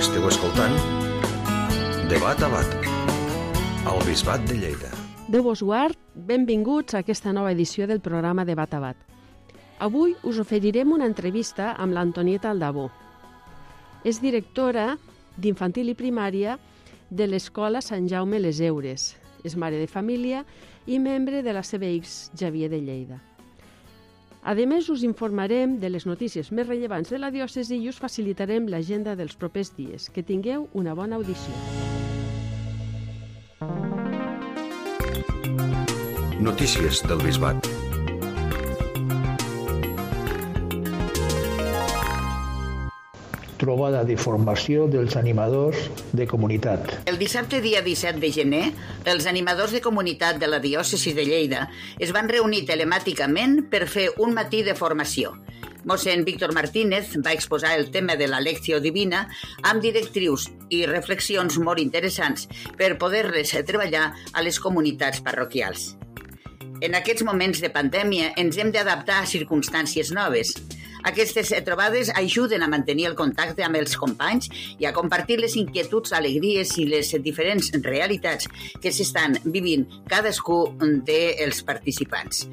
Esteu escoltant Debat a Bat, al Bisbat de Lleida. Déu vos guard, benvinguts a aquesta nova edició del programa Debat a Bat. Avui us oferirem una entrevista amb l'Antonieta Aldabó. És directora d'infantil i primària de l'Escola Sant Jaume les Heures. És mare de família i membre de la CBX Xavier de Lleida. A més, us informarem de les notícies més rellevants de la diòcesi i us facilitarem l'agenda dels propers dies. Que tingueu una bona audició. Notícies del Bisbat. Trobada de formació dels animadors de comunitat. El dissabte dia 17 de gener, els animadors de comunitat de la diòcesi de Lleida es van reunir telemàticament per fer un matí de formació. Mossèn Víctor Martínez va exposar el tema de la lecció divina amb directrius i reflexions molt interessants per poder-les treballar a les comunitats parroquials. En aquests moments de pandèmia ens hem d'adaptar a circumstàncies noves. Aquestes trobades ajuden a mantenir el contacte amb els companys i a compartir les inquietuds, alegries i les diferents realitats que s'estan vivint cadascú dels participants.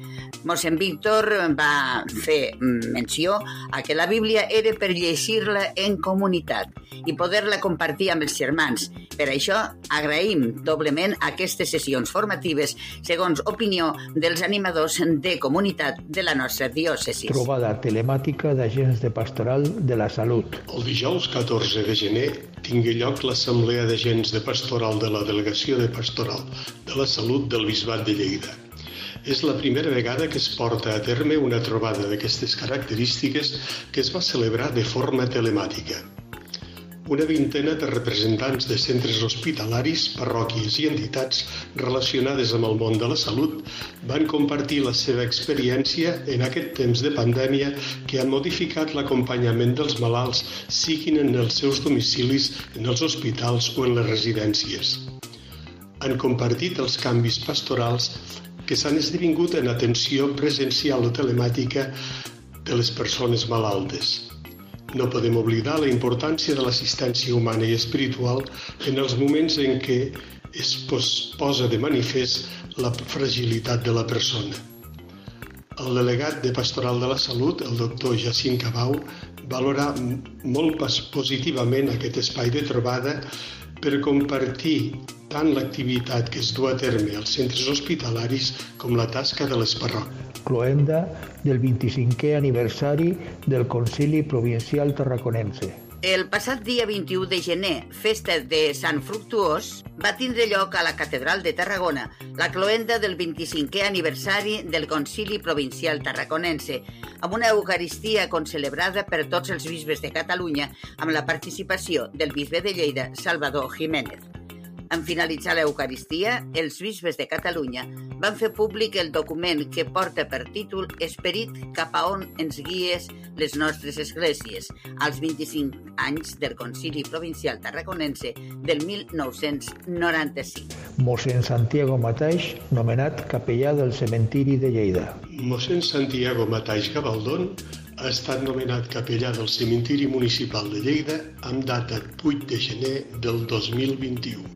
Mossèn Víctor va fer menció a que la Bíblia era per llegir-la en comunitat i poder-la compartir amb els germans. Per això agraïm doblement aquestes sessions formatives segons opinió dels animadors de comunitat de la nostra diòcesi. Trobada telemàtica d'agents de pastoral de la salut. El dijous 14 de gener tingui lloc l'Assemblea d'Agents de Pastoral de la Delegació de Pastoral de la Salut del Bisbat de Lleida. És la primera vegada que es porta a terme una trobada d'aquestes característiques que es va celebrar de forma telemàtica. Una vintena de representants de centres hospitalaris, parròquies i entitats relacionades amb el món de la salut van compartir la seva experiència en aquest temps de pandèmia que ha modificat l'acompanyament dels malalts, siguin en els seus domicilis, en els hospitals o en les residències. Han compartit els canvis pastorals que s'han esdevingut en atenció presencial o telemàtica de les persones malaltes. No podem oblidar la importància de l'assistència humana i espiritual en els moments en què es posa de manifest la fragilitat de la persona. El delegat de Pastoral de la Salut, el doctor Jacint Cabau, valora molt positivament aquest espai de trobada per compartir tant l'activitat que es du a terme als centres hospitalaris com la tasca de les parròquies. Cloenda del 25è aniversari del Concili Provincial Tarraconense. El passat dia 21 de gener, festa de Sant Fructuós, va tindre lloc a la Catedral de Tarragona la cloenda del 25è aniversari del Concili Provincial Tarraconense, amb una Eucaristia concelebrada per tots els bisbes de Catalunya amb la participació del bisbe de Lleida, Salvador Jiménez. En finalitzar l'Eucaristia, els bisbes de Catalunya van fer públic el document que porta per títol Esperit cap a on ens guies les nostres esglésies, als 25 anys del Concili Provincial Tarraconense del 1995. Mossèn Santiago Mataix, nomenat capellà del cementiri de Lleida. Mossèn Santiago Mataix Gabaldón ha estat nomenat capellà del cementiri municipal de Lleida amb data 8 de gener del 2021.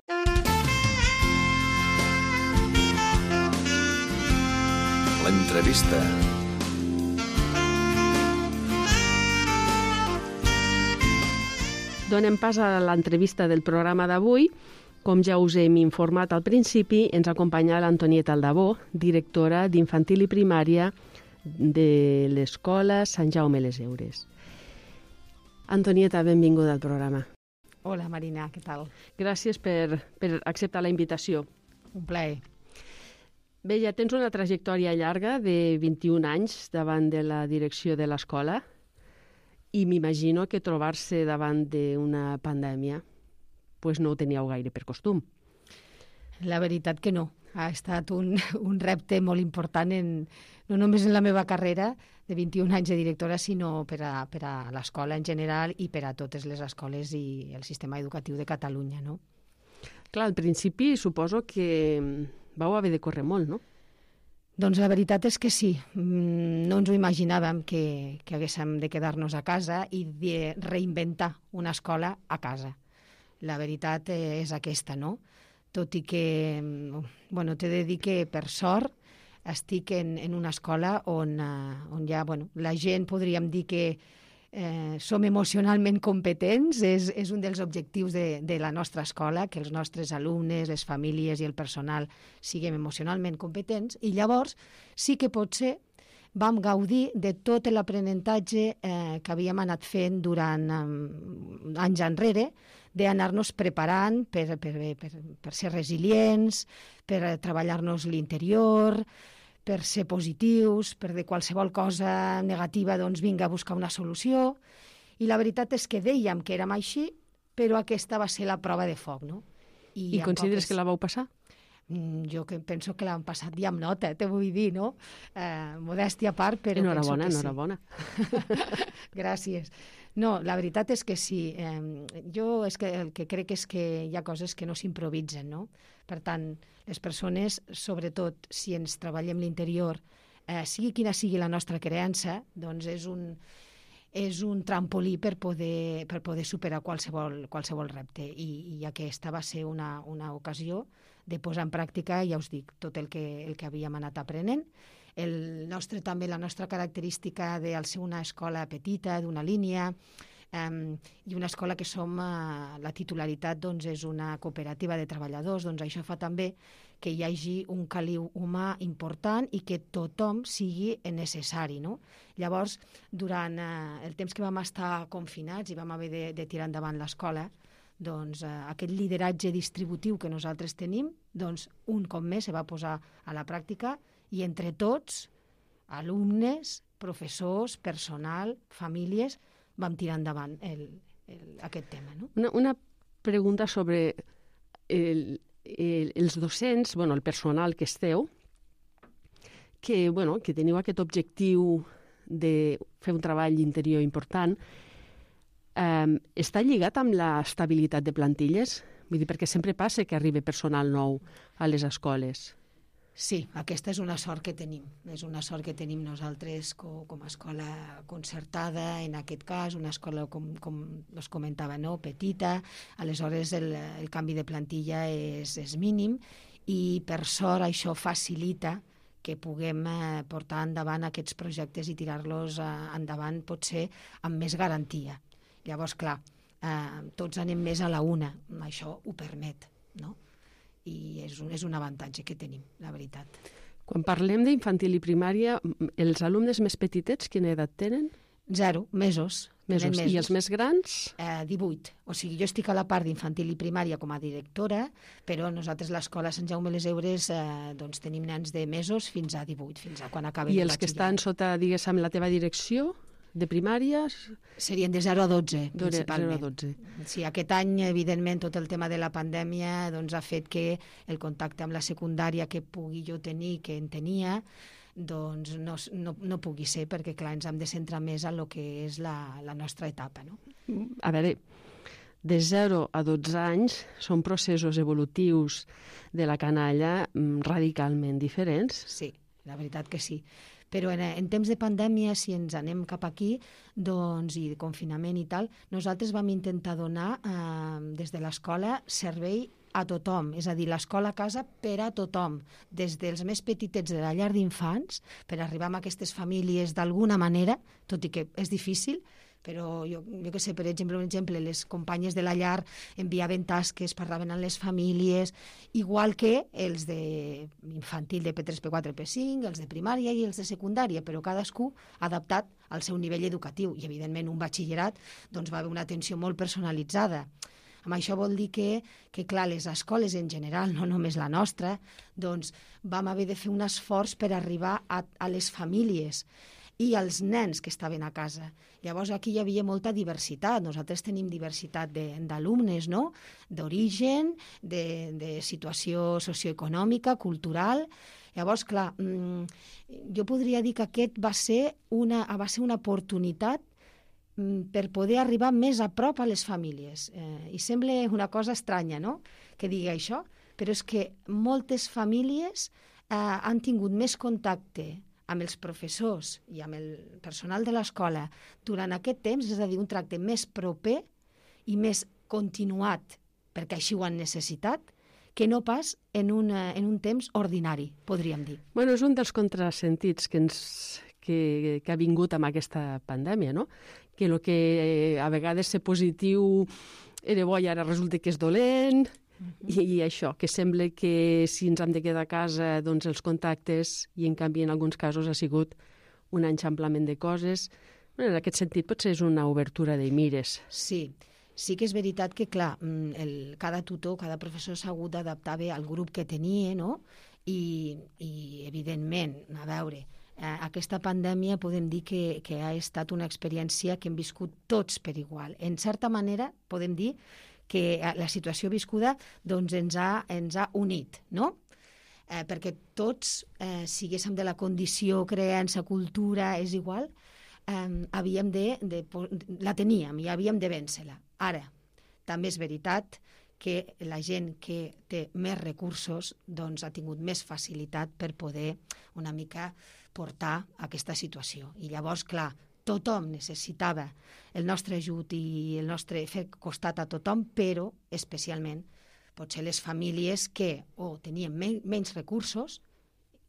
L'entrevista. Donem pas a l'entrevista del programa d'avui. Com ja us hem informat al principi, ens acompanya l'Antonieta Aldabó, directora d'infantil i primària de l'Escola Sant Jaume les Heures. Antonieta, benvinguda al programa. Hola, Marina, què tal? Gràcies per acceptar la invitació. Un plaer. Bé, ja tens una trajectòria llarga de 21 anys davant de la direcció de l'escola i m'imagino que trobar-se davant d'una pandèmia pues no ho teníeu gaire per costum. La veritat que no. Ha estat un repte molt important, no només en la meva carrera de 21 anys de directora, sinó per a l'escola en general i per a totes les escoles i el sistema educatiu de Catalunya, no? Clar, al principi suposo que vau haver de córrer molt, no? Doncs la veritat és que sí. No ens ho imaginàvem que haguéssim de quedar-nos a casa i de reinventar una escola a casa. La veritat és aquesta, no? Tot i que, t'he de dir que, per sort, estic en una escola on ja, la gent podríem dir que som emocionalment competents, és un dels objectius de la nostra escola, que els nostres alumnes, les famílies i el personal siguem emocionalment competents, i llavors sí que potser vam gaudir de tot l'aprenentatge que havíem anat fent durant anys enrere, d'anar-nos preparant per ser resilients, per treballar-nos l'interior, per ser positius, per de qualsevol cosa negativa vinga a buscar una solució. I la veritat és que dèiem que érem així, però aquesta va ser la prova de foc, no? I consideres que la vau passar? Jo penso que l'han passat ja amb nota, te vull dir, no? Modèstia a part, però enhorabona, penso que enhorabona. Gràcies. No, la veritat és que sí. Jo el que crec és que hi ha coses que no s'improvisen, no? Per tant, les persones, sobretot si ens treballem l'interior, sigui quina sigui la nostra creença, doncs és un trampolí per poder superar qualsevol repte. I aquesta va ser una ocasió de posar en pràctica, ja us dic, tot el que havíem anat aprenent. La nostra característica de ser una escola petita, d'una línia, i una escola que som, la titularitat és una cooperativa de treballadors, doncs això fa també que hi hagi un caliu humà important i que tothom sigui necessari, no? Llavors, durant el temps que vam estar confinats i vam haver de tirar endavant l'escola, doncs aquest lideratge distributiu que nosaltres tenim, doncs un cop més se va posar a la pràctica i entre tots, alumnes, professors, personal, famílies, vam tirar endavant aquest tema, no? Una pregunta sobre els docents, el personal que esteu, que teniu aquest objectiu de fer un treball interior important, està lligat amb l'estabilitat de plantilles? Vull dir, perquè sempre passa que arriba personal nou a les escoles. Sí, aquesta és una sort que tenim. És una sort que tenim nosaltres com a escola concertada, en aquest cas, una escola, com us comentava, no? Petita, aleshores el canvi de plantilla és mínim i per sort això facilita que puguem portar endavant aquests projectes i tirar-los endavant potser amb més garantia. Llavors, clar, tots anem més a la una, això ho permet, no? I és un avantatge que tenim, la veritat. Quan parlem d'infantil i primària, els alumnes més petitets, quina edat tenen? 0 mesos. I els més grans? 18. O sigui, jo estic a la part d'infantil i primària com a directora, però nosaltres a l'escola Sant Jaume les Heures doncs tenim nens de mesos fins a 18, fins a quan acaben I els que estan sota, diguéssim, la teva direcció? De primària? Serien de 0 a 12, principalment. 0 a 12. Sí, aquest any, evidentment, tot el tema de la pandèmia doncs, ha fet que el contacte amb la secundària que pugui jo tenir, que en tenia, doncs no pugui ser, perquè, clar, ens hem de centrar més en el que és la nostra etapa, no? A veure, de 0 a 12 anys són processos evolutius de la canalla radicalment diferents. Sí, la veritat que sí. Però en temps de pandèmia, si ens anem cap aquí, doncs, i de confinament i tal, nosaltres vam intentar donar des de l'escola servei a tothom, és a dir, l'escola a casa per a tothom, des dels més petitets de la llar d'infants, per arribar a aquestes famílies d'alguna manera, tot i que és difícil, però jo que sé, per exemple, les companyes de la llar enviaven tasques, parlaven amb les famílies, igual que els d'infantil de P3, P4, P5, els de primària i els de secundària, però cadascú adaptat al seu nivell educatiu. I, evidentment, un batxillerat doncs, va haver una atenció molt personalitzada. Amb això vol dir que, clar, les escoles en general, no només la nostra, doncs vam haver de fer un esforç per arribar a les famílies i als nens que estaven a casa. Llavors aquí hi havia molta diversitat. Nosaltres tenim diversitat d'alumnes, no? D'origen, de situació socioeconòmica, cultural. Llavors, clar, jo podria dir que aquest va ser una oportunitat per poder arribar més a prop a les famílies. I sembla una cosa estranya, no?, que digui això, però és que moltes famílies han tingut més contacte amb els professors i amb el personal de l'escola durant aquest temps, és a dir, un tracte més proper i més continuat perquè així ho han necessitat, que no pas en un temps ordinari, podríem dir. Bueno, és un dels contrasentits que ha vingut amb aquesta pandèmia, no? Que el que a vegades ser positiu era bo i ara resulta que és dolent, i això, que sembla que si ens hem de quedar a casa, doncs els contactes, i en canvi en alguns casos ha sigut un enxamplament de coses. Bueno, en aquest sentit potser és una obertura de mires. Sí que és veritat que, clar, cada tutor, cada professor s'ha hagut d'adaptar bé al grup que tenia, no? I evidentment, a veure, aquesta pandèmia podem dir que ha estat una experiència que hem viscut tots per igual. En certa manera, podem dir que la situació viscuda doncs, ens ha unit, no? Perquè tots, siguéssim de la condició, creença, cultura, és igual, la teníem i havíem de vèncer-la. Ara, també és veritat que la gent que té més recursos doncs, ha tingut més facilitat per poder una mica portar aquesta situació. I llavors, clar, tothom necessitava el nostre ajut i el nostre fer costat a tothom, però especialment potser les famílies que o tenien menys recursos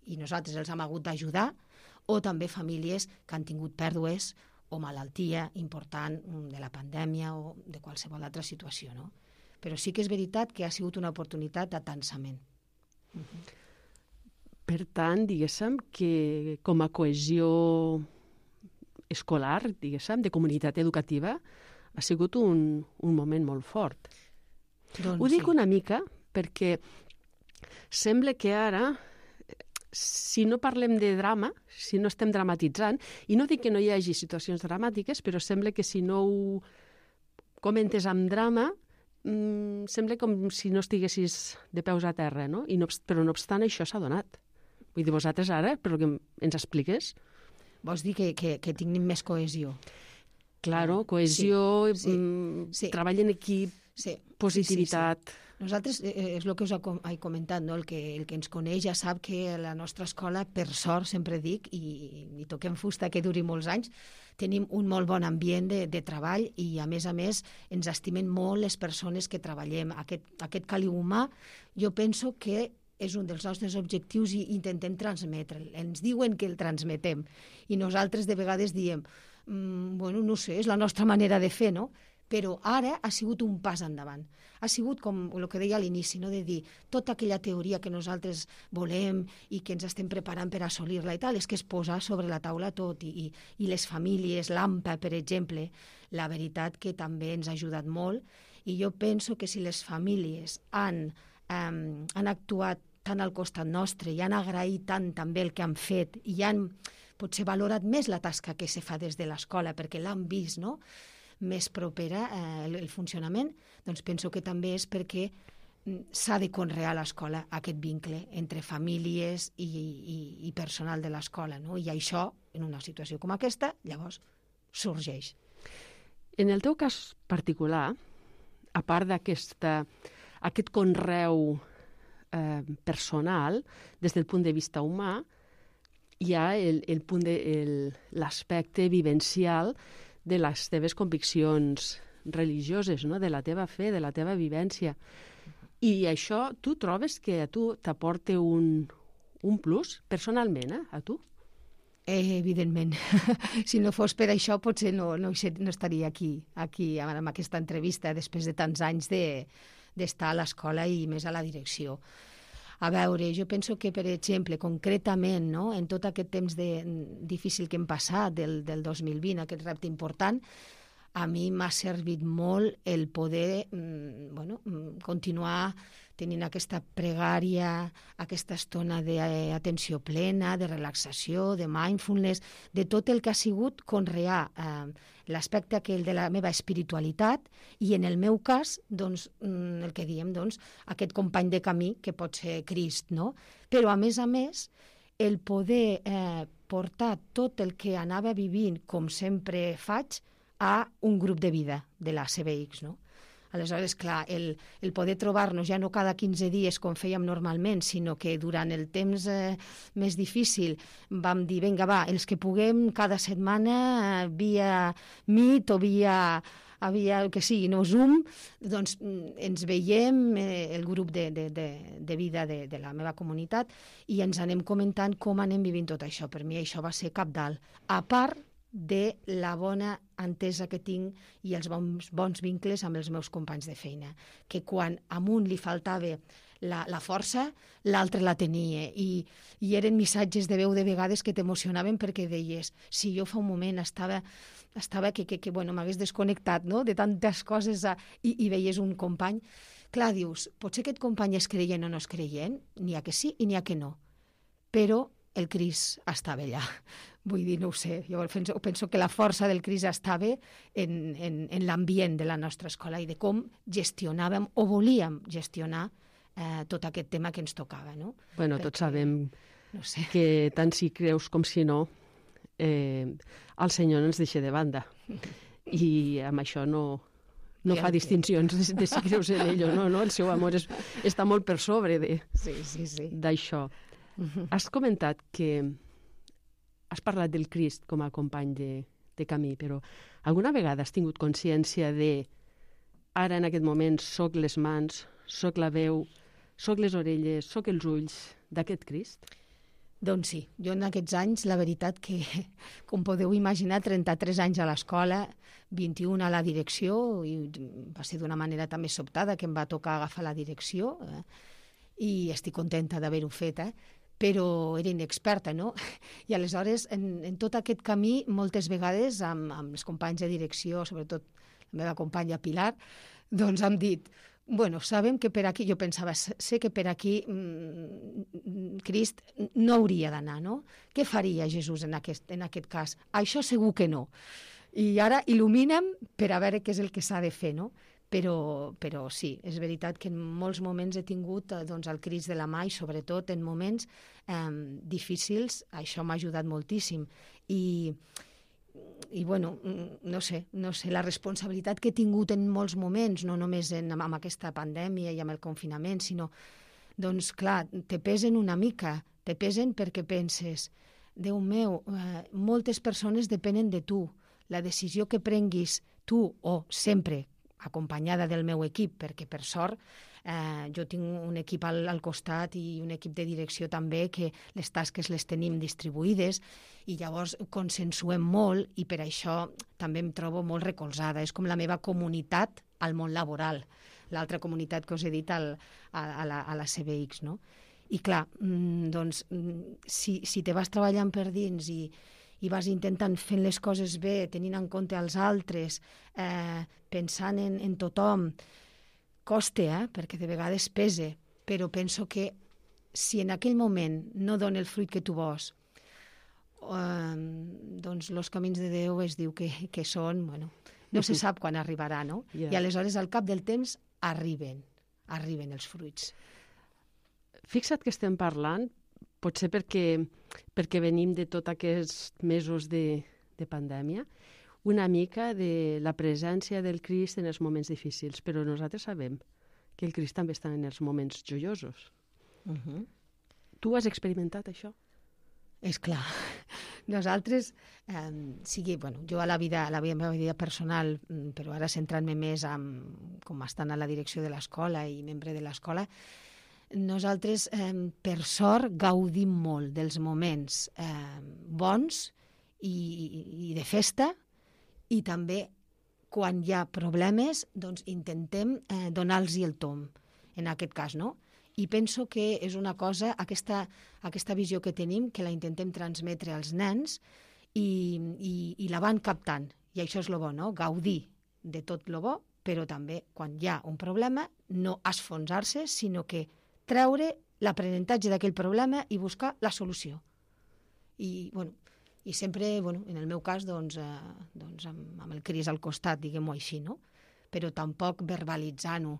i nosaltres els hem hagut d'ajudar, o també famílies que han tingut pèrdues o malaltia important de la pandèmia o de qualsevol altra situació, no? Però sí que és veritat que ha sigut una oportunitat d'atansament. Per tant, diguéssim que com a cohesió escolar, diguéssim, de comunitat educativa, ha sigut un moment molt fort. Doncs ho dic sí. una mica perquè sembla que ara, si no parlem de drama, si no estem dramatitzant, i no dic que no hi hagi situacions dramàtiques, però sembla que si no ho comentes amb drama, sembla com si no estiguessis de peus a terra, no? Però no obstant això s'ha donat. Vull dir, vosaltres ara, però que ens expliques? Vols dir que tinguin més cohesió? Claro, cohesió, sí. treball en equip, Sí, positivitat. Sí. Nosaltres, és el que us he comentat, no? El que ens coneix ja sap que la nostra escola, per sort, sempre dic, i toquem fusta que duri molts anys, tenim un molt bon ambient de treball i, a més, ens estimen molt les persones que treballem. Aquest caliu humà, jo penso que és un dels nostres objectius i intentem transmetre'l. Ens diuen que el transmetem i nosaltres de vegades diem, bueno, no sé, és la nostra manera de fer, no? Però ara ha sigut un pas endavant. Ha sigut com el que deia a l'inici, no? De dir, tota aquella teoria que nosaltres volem i que ens estem preparant per assolir-la i tal, és que es posa sobre la taula tot. I les famílies, l'AMPA, per exemple, la veritat que també ens ha ajudat molt. I jo penso que si les famílies han actuat tant al costat nostre i han agraït tant també el que han fet i han potser valorat més la tasca que se fa des de l'escola perquè l'han vist, no?, més propera el funcionament, doncs penso que també és perquè s'ha de conrear a l'escola aquest vincle entre famílies i personal de l'escola, no? I això, en una situació com aquesta, llavors sorgeix. En el teu cas particular, a part d'aquest conreu personal, des del punt de vista humà, hi ha l'aspecte vivencial de les teves conviccions religioses, no? De la teva fe, de la teva vivència. I això, tu trobes que a tu t'aporta un plus, personalment, a tu? Evidentment. Si no fos per això, potser no estaria aquí amb aquesta entrevista després de tants anys d'estar a l'escola i més a la direcció. A veure, jo penso que, per exemple, concretament, no, en tot aquest temps difícil que hem passat, del 2020, aquest repte important, a mi m'ha servit molt el poder continuar tenint aquesta pregària, aquesta estona d'atenció plena, de relaxació, de mindfulness, de tot el que ha sigut conrear l'aspecte aquell de la meva espiritualitat i, en el meu cas, doncs, el que diem, doncs, aquest company de camí que pot ser Crist, no? Però, a més, el poder portar tot el que anava vivint, com sempre faig, a un grup de vida de la CBX, no? Aleshores, clar, el poder trobar-nos ja no cada 15 dies com fèiem normalment, sinó que durant el temps més difícil vam dir, vinga, va, els que puguem cada setmana via Meet o via havia el que sigui, no Zoom, doncs ens veiem, el grup de vida de la meva comunitat, i ens anem comentant com anem vivint tot això. Per mi això va ser cabdal. A part de la bona entesa que tinc i els bons vincles amb els meus companys de feina, que quan a un li faltava la força, l'altre la tenia, i eren missatges de veu de vegades que t'emocionaven perquè deies, si jo fa un moment estava que bueno, m'hagués desconnectat, no?, de tantes coses, i veies un company, clar, dius, potser aquest company és creient o no és creient, n'hi ha que sí i n'hi ha que no, però el Crist estava allà. Vull dir, no ho sé, jo penso que la força del Crist estava en l'ambient de la nostra escola i de com gestionàvem o volíem gestionar tot aquest tema que ens tocava, no? Bueno, tots sabem que tant si creus com si no, el Senyor no ens deixa de banda. I amb això no fa distincions de si creus en ell o no, no? El seu amor està molt per sobre d'això. Has comentat que has parlat del Crist com a company de camí, però alguna vegada has tingut consciència de ara en aquest moment soc les mans, soc la veu, soc les orelles, soc els ulls d'aquest Crist? Doncs sí, jo en aquests anys, la veritat que, com podeu imaginar, 33 anys a l'escola, 21 a la direcció, i va ser d'una manera també sobtada que em va tocar agafar la direcció, i estic contenta d'haver-ho fet, però era inexperta, no? I aleshores, en tot aquest camí, moltes vegades, amb els companys de direcció, sobretot la meva companya Pilar, doncs hem dit, bueno, sabem que per aquí, jo pensava, sé que per aquí Crist no hauria d'anar, no? Què faria Jesús en aquest cas? Això segur que no. I ara il·luminem per a veure què és el que s'ha de fer, no? Però sí, és veritat que en molts moments he tingut el Crist de la mà i sobretot en moments difícils, això m'ha ajudat moltíssim. I bueno, no sé, la responsabilitat que he tingut en molts moments, no només amb aquesta pandèmia i amb el confinament, sinó, doncs clar, te pesen una mica, te pesen perquè penses, Déu meu, moltes persones depenen de tu, la decisió que prenguis tu o sempre acompanyada del meu equip, perquè per sort jo tinc un equip al costat i un equip de direcció també que les tasques les tenim distribuïdes i llavors consensuem molt i per això també em trobo molt recolzada. És com la meva comunitat al món laboral, l'altra comunitat que us he dit a la CBX, no? I clar, doncs, si te vas treballant per dins i vas intentant fent les coses bé, tenint en compte els altres, pensant en tothom, costa, perquè de vegades pesa, però penso que si en aquell moment no dona el fruit que tu vols, doncs els camins de Déu es diu que són, bueno, no se sap quan arribarà, no? I aleshores al cap del temps arriben els fruits. Fixa't que estem parlant potser perquè venim de tots aquests mesos de pandèmia, una mica de la presència del Crist en els moments difícils, però nosaltres sabem que el Crist també està en els moments joiosos. Tu has experimentat això? És clar. Nosaltres, jo a la meva vida personal, però ara centrant-me més com estant a la direcció de l'escola i membre de l'escola, nosaltres, per sort, gaudim molt dels moments bons i de festa, i també, quan hi ha problemes, doncs intentem donar-los el tomb, en aquest cas, no? I penso que és una cosa, aquesta visió que tenim, que la intentem transmetre als nens i la van captant. I això és el bo, no? Gaudir de tot el bo, però també, quan hi ha un problema, no esfonsar-se, sinó que treure l'aprenentatge d'aquell problema i buscar la solució. I sempre, en el meu cas, doncs amb el Crist al costat, diguem-ho així, no? Però tampoc verbalitzant-ho,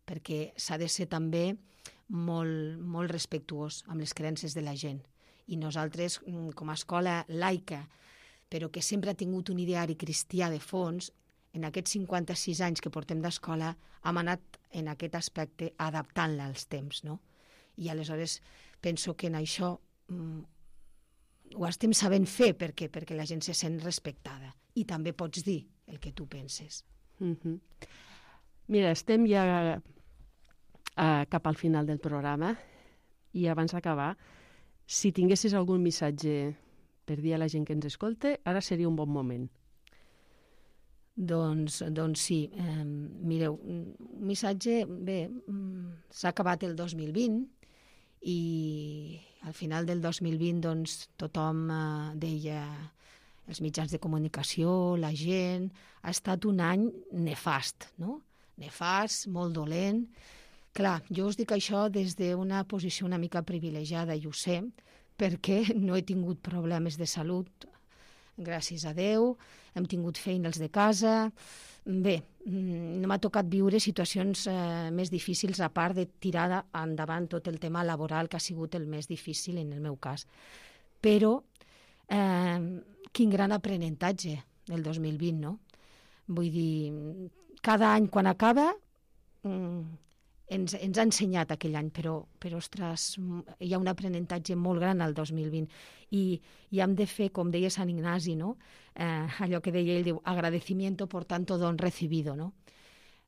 perquè s'ha de ser també molt, molt respectuós amb les creences de la gent. I nosaltres, com a escola laica, però que sempre ha tingut un ideari cristià de fons, en aquests 56 anys que portem d'escola, hem anat en aquest aspecte adaptant-la als temps, no? I aleshores penso que en això ho estem sabent fer perquè la gent se sent respectada i també pots dir el que tu penses. Mira, estem ja cap al final del programa i abans d'acabar, si tinguessis algun missatge per dir a la gent que ens escolta, ara seria un bon moment. Doncs sí. Mireu, un missatge... Bé, s'ha acabat el 2020 i al final del 2020 doncs, tothom deia, els mitjans de comunicació, la gent, ha estat un any nefast, no? Nefast, molt dolent. Clar, jo us dic això des d'una posició una mica privilegiada, i ho sé, perquè no he tingut problemes de salut, gràcies a Déu, hem tingut feines de casa. Bé, no m'ha tocat viure situacions més difícils, a part de tirar endavant tot el tema laboral, que ha sigut el més difícil en el meu cas. Però quin gran aprenentatge el 2020, no? Vull dir, cada any quan acaba ens ha ensenyat aquell any, però ostres, hi ha un aprenentatge molt gran al 2020 i hem de fer, com deia Sant Ignasi, no? Allò que deia ell, diu, agradecimiento por tanto don recibido, no?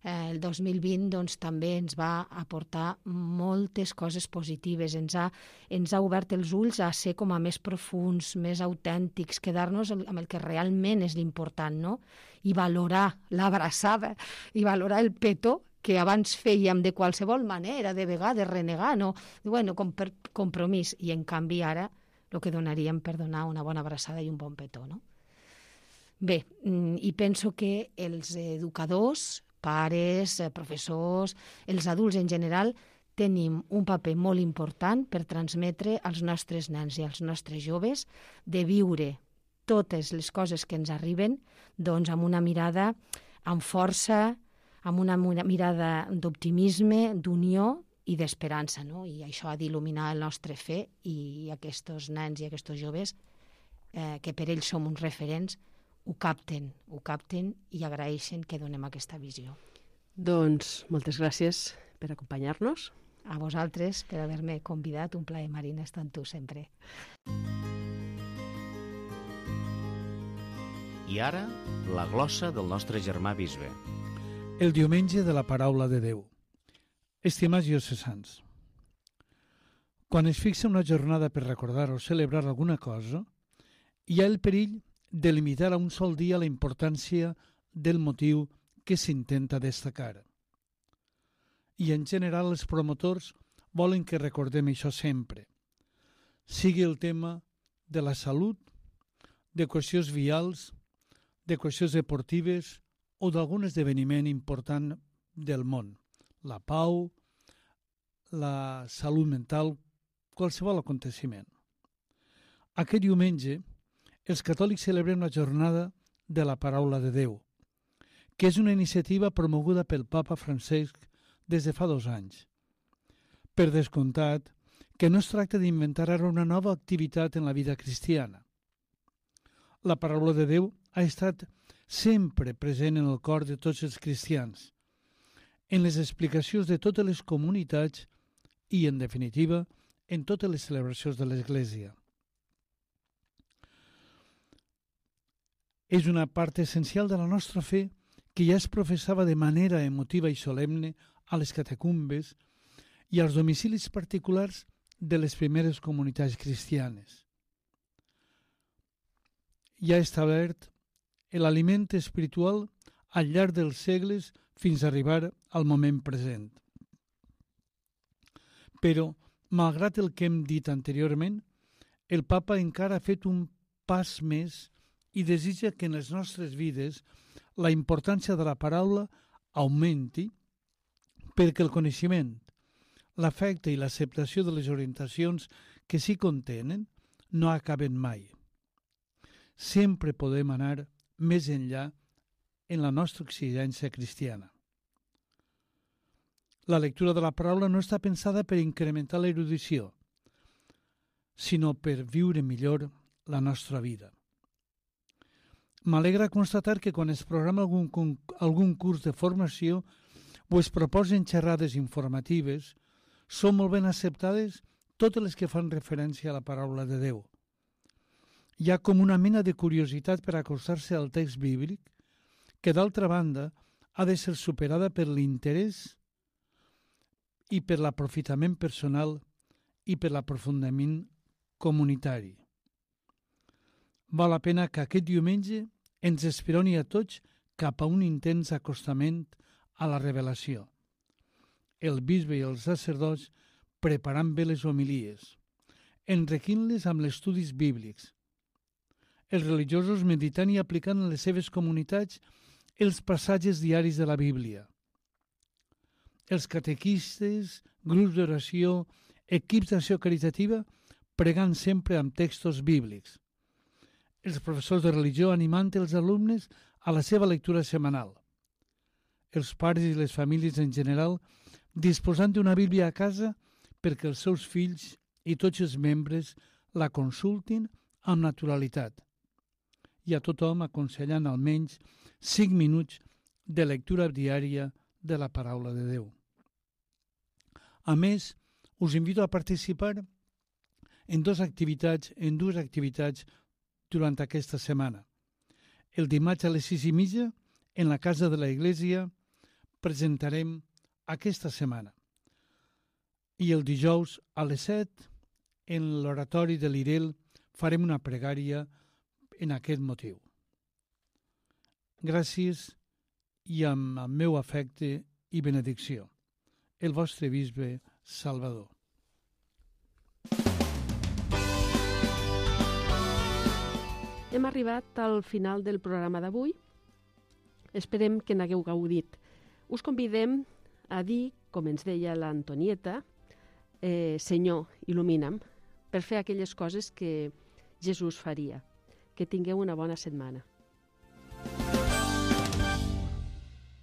El 2020 doncs, també ens va aportar moltes coses positives, ens ha obert els ulls a ser com a més profuns, més autèntics, quedar-nos amb el que realment és l'important, no? I valorar l'abraçada, i valorar el petó, que abans fèiem de qualsevol manera, de vegades renegar, no? Bueno, com per compromís, i en canvi ara el que donaríem per donar una bona abraçada i un bon petó, no? Bé, i penso que els educadors, pares, professors, els adults en general, tenim un paper molt important per transmetre als nostres nens i als nostres joves de viure totes les coses que ens arriben doncs amb una mirada amb força, amb una mirada d'optimisme, d'unió i d'esperança, no? I això ha d'il·luminar el nostre fe i aquests nens i aquests joves, que per ells som uns referents, ho capten i agraeixen que donem aquesta visió. Doncs moltes gràcies per acompanyar-nos. A vosaltres per haver-me convidat. Un plaer, Marina, estar amb tu sempre. I ara, la glossa del nostre germà bisbe. El diumenge de la paraula de Déu. Estimats diocesans, quan es fixa una jornada per recordar o celebrar alguna cosa, hi ha el perill de limitar a un sol dia la importància del motiu que s'intenta destacar. I en general els promotors volen que recordem això sempre, sigui el tema de la salut, de qüestions vials, de qüestions deportives o d'algun esdeveniment important del món, la pau, la salut mental, qualsevol aconteciment. Aquest diumenge, els catòlics celebrem la jornada de la paraula de Déu, que és una iniciativa promoguda pel Papa Francesc des de fa 2 anys. Per descomptat, que no es tracta d'inventar ara una nova activitat en la vida cristiana. La paraula de Déu ha estat sempre present en el cor de tots els cristians, en les explicacions de totes les comunitats i, en definitiva, en totes les celebracions de l'Església. És una part essencial de la nostra fe que ja es professava de manera emotiva i solemne a les catacumbes i als domicilis particulars de les primeres comunitats cristianes. Ja ha establert l'aliment espiritual al llarg dels segles fins a arribar al moment present. Però, malgrat el que hem dit anteriorment, el Papa encara ha fet un pas més i desitja que en les nostres vides la importància de la paraula augmenti perquè el coneixement, l'afecte i l'acceptació de les orientacions que s'hi contenen no acaben mai. Sempre podem anar més enllà en la nostra exigència cristiana. La lectura de la paraula no està pensada per incrementar l'erudició, sinó per viure millor la nostra vida. M'alegra constatar que quan es programa algun curs de formació o es proposen xerrades informatives, són molt ben acceptades totes les que fan referència a la paraula de Déu. Hi ha com una mena de curiositat per acostar-se al text bíblic que, d'altra banda, ha de ser superada per l'interès i per l'aprofitament personal i per l'aprofundiment comunitari. Val la pena que aquest diumenge ens esperoni a tots cap a un intens acostament a la revelació. El bisbe i els sacerdots preparant bé les homilies, enriquint-les amb els estudis bíblics, els religiosos meditant i aplicant en les seves comunitats els passatges diaris de la Bíblia, els catequistes, grups d'oració, equips d'acció caritativa pregant sempre amb textos bíblics, els professors de religió animant els alumnes a la seva lectura setmanal, els pares i les famílies en general disposant d'una Bíblia a casa perquè els seus fills i tots els membres la consultin amb naturalitat i a tothom aconsellant almenys 5 minuts de lectura diària de la paraula de Déu. A més, us invito a participar en dues activitats durant aquesta setmana. El dimarts a les 6:30, en la casa de la Iglesia, presentarem aquesta setmana. I el dijous a les 7, en l'oratori de l'Irel, farem una pregària en aquest motiu. Gràcies i amb el meu afecte i benedicció. El vostre bisbe Salvador. Hem arribat al final del programa d'avui. Esperem que n'hagueu gaudit. Us convidem a dir, com ens deia l'Antonieta, Senyor, il·lumina'm, per fer aquelles coses que Jesús faria. Que tingueu una bona setmana.